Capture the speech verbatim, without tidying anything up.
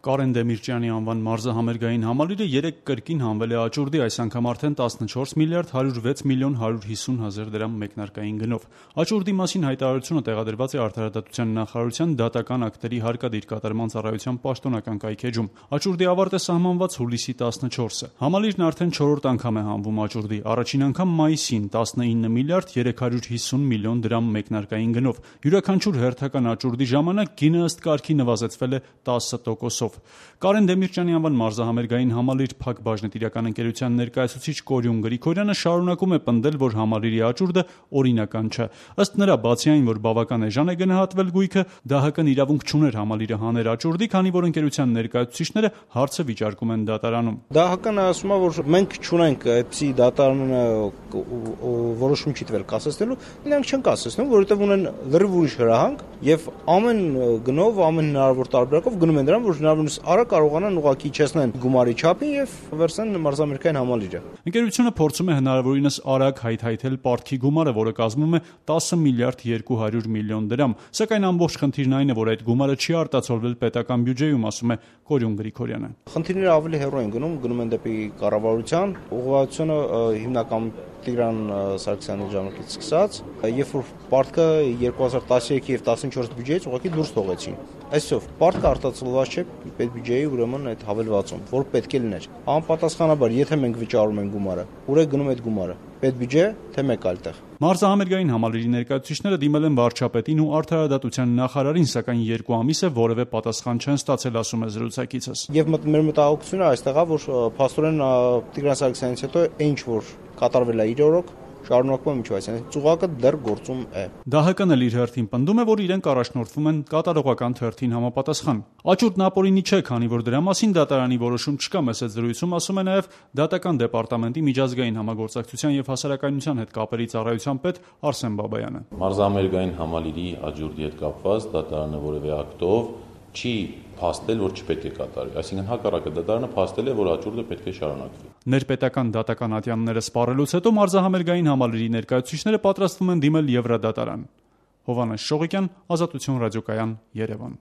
Կարեն Դեմիրճյանի անվան մարզահամերգային համալիրը երեկ կրկին հանվել է աճուրդի, այս անգամ արդեն տասնչորս միլիարդ հարյուր վեց միլիոն հարյուր հիսուն հազար դրամ մեկնարկային գնով։ Աճուրդի մասին հայտարարությունը տեղադրված է Արդարադատության նախարարության դատական ակտերի հարկադիր կատարման ծառայության պաշտոնական կայքէջում։ Աճուրդի ավարտ է սահմանված հուլիսի տասնչորսը։ Համալիրն արդեն չորրորդ անգամ է հանվում աճուրդի, առաջին անգամ մայիսին տասնինը միլիարդ երեք հարյուր հիսուն միլիոն դրամ մեկնարկային գնով։ Յուրաքանչյուր հերթական աճուրդի ժամանակ գինը ըստ կարգի նվազեցվել է տասը տոկոսով։ Կարեն Դեմիրճյանի անվան մարզահամերգային համալիր Փակ բաժնետիրական ընկերության ներկայացուցիչ Կորյուն Գրիգորյանը շարունակում է պնդել, որ համալիրի աճուրդը օրինական չէ։ Ըստ նրա, բացի այն, որ բավական էժան է գնահատվել գույքը, ԴՀԿ-ն իրավունք չուներ համալիրը հաներ աճուրդի, քանի որ ընկերության ներկայացուցիչները հարցը վիճարկում են դատարանում։ ԴՀԿ-ն ասում է, որ մենք չունենք այդպիսի դատարանը որոշում չի տվել կասեցնելու, նրանք չեն կասեցնում, որովհետև ունեն լրիվ ուրիշ հրահանգ եւ ամեն գնով, ամեն հնարավոր տարբերակով գնում են դրան, որ հնարավորինս արագ կարողանան ուղղակի իջեցնեն գումարի չափին եւ վերցնեն մարզամերգային համալիրը։ Ընկերությունը փորձում է հնարավորինս արագ հայթայթել պարտքի գումարը, որը կազմում է տասը միլիարդ երկու հարյուր միլիոն դրամ, սակայն ամբողջ խնդիրն այն է, որ այդ գումարը չի արտացոլվել պետական բյուջեում, ասում է Կորյուն Գրիգորյանը։ Խնդիրները ավելի հեռու են գնում, գնում են դեպի կառավարության, ուղղվածությունը հիմնական Տիգրան Սարգսյանի ժամանակից սկսած, երբ որ պարտքը երկու հազար տասնյոթ եւ տասնչորս բյուջեից ուղղակի դուրս թողեցին։ Այսով պարտքը արտացոլված չէ պետբյուջեի, ուրեմն այդ հավելվածում, որ պետք է լիներ։ Անպատասխանաբար, եթե մենք վճարում ենք գումարը, ուր է գնում այդ գումարը։ Պետբյուջե, թե մեկ այլ տեղ։ Մարզահամերգային համալիրի ներկայացուցիչները դիմել են վարչապետին ու Արդարադատության նախարարին, սակայն երկու ամիս է որևէ պատասխան չեն ստացել, ասում է զրուցակիցս։ Եվ մեր մտահոգությունը այստեղ է, որ փաստորեն Տիգրան Սարգսյանից հետո ինչ որ կատարվել է իր օրոք, շարունակվում է միջով, այսինքն ծուղակը դեռ գործում է։ ԴՀԿ-ն էլ իր հերթին պնդում է, որ իրենք առաջնորդվում են կատարողական թերթին համապատասխան։ Աճուրդն ապօրինի չէ, քանի որ դրա մասին դատարանի որոշում չկա, մեծ զրույցում ասում է նաև դատական դեպարտամենտի միջազգային համագործակցության եւ հասարակայնության հետ կապերի ծառայության պետ Արսեն Բաբայանը։ Մարզահամերգային համալիրի աճուրդի հետ կապված դատարանը որևէ ակտով չի փաստել, որ չպետք է կատարվի, այսինքն հակառակը դատարանը փաստել է, որ աճուրդը պետք է շարունակվի։ Ներպետական դատական ատյանները սպառելուց հետո մարզահամերգային համալիրի ներկայացուցիչները պատրաստվում են դիմել Եվրադատարան։ Հովհաննես Շողիկյան, Ազատություն ռադիոկայան, Երևան։